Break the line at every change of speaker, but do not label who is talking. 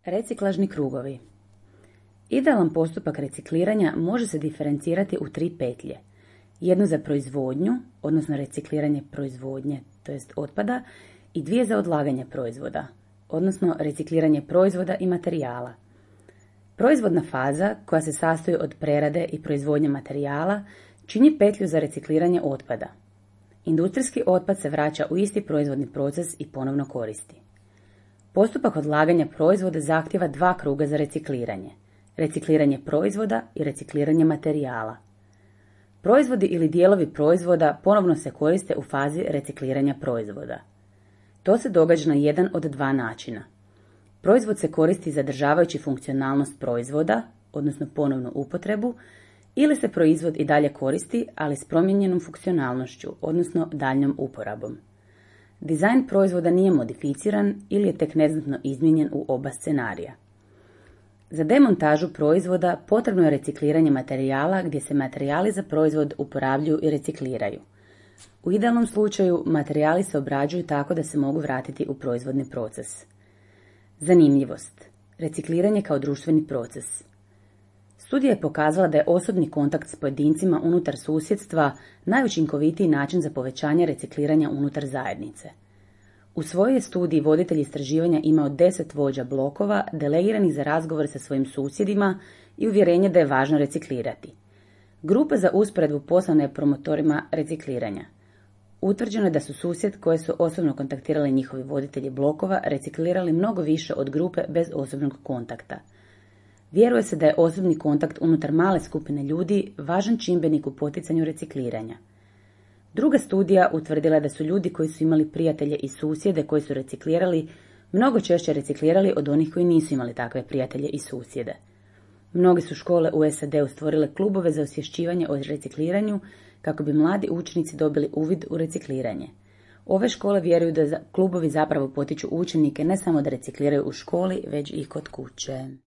Reciklažni krugovi. Idealan postupak recikliranja može se diferencirati u 3 petlje. Jednu za proizvodnju, odnosno recikliranje proizvodnje, to jest otpada, i 2 za odlaganje proizvoda, odnosno recikliranje proizvoda i materijala. Proizvodna faza, koja se sastoji od prerade i proizvodnje materijala, čini petlju za recikliranje otpada. Industrijski otpad se vraća u isti proizvodni proces i ponovno koristi. Postupak odlaganja proizvoda zahtijeva 2 kruga za recikliranje. Recikliranje proizvoda i recikliranje materijala. Proizvodi ili dijelovi proizvoda ponovno se koriste u fazi recikliranja proizvoda. To se događa na jedan od 2 načina. Proizvod se koristi zadržavajući funkcionalnost proizvoda, odnosno ponovnu upotrebu, ili se proizvod i dalje koristi, ali s promijenjenom funkcionalnošću, odnosno daljnjom uporabom. Dizajn proizvoda nije modificiran ili je tek neznatno izmijenjen u oba scenarija. Za demontažu proizvoda potrebno je recikliranje materijala gdje se materijali za proizvod uporabljuju i recikliraju. U idealnom slučaju materijali se obrađuju tako da se mogu vratiti u proizvodni proces. Zanimljivost. Recikliranje kao društveni proces. Studija je pokazala da je osobni kontakt s pojedincima unutar susjedstva najučinkovitiji način za povećanje recikliranja unutar zajednice. U svojoj studiji voditelj istraživanja imao 10 vođa blokova delegiranih za razgovor sa svojim susjedima i uvjerenje da je važno reciklirati. Grupa za usporedbu poslana je promotorima recikliranja. Utvrđeno je da su susjed koje su osobno kontaktirali njihovi voditelji blokova reciklirali mnogo više od grupe bez osobnog kontakta. Vjeruje se da je osobni kontakt unutar male skupine ljudi važan čimbenik u poticanju recikliranja. Druga studija utvrdila je da su ljudi koji su imali prijatelje i susjede koji su reciklirali mnogo češće reciklirali od onih koji nisu imali takve prijatelje i susjede. Mnoge su škole u SAD-u stvorile klubove za osvješćivanje o recikliranju kako bi mladi učenici dobili uvid u recikliranje. Ove škole vjeruju da klubovi zapravo potiču učenike ne samo da recikliraju u školi, već i kod kuće.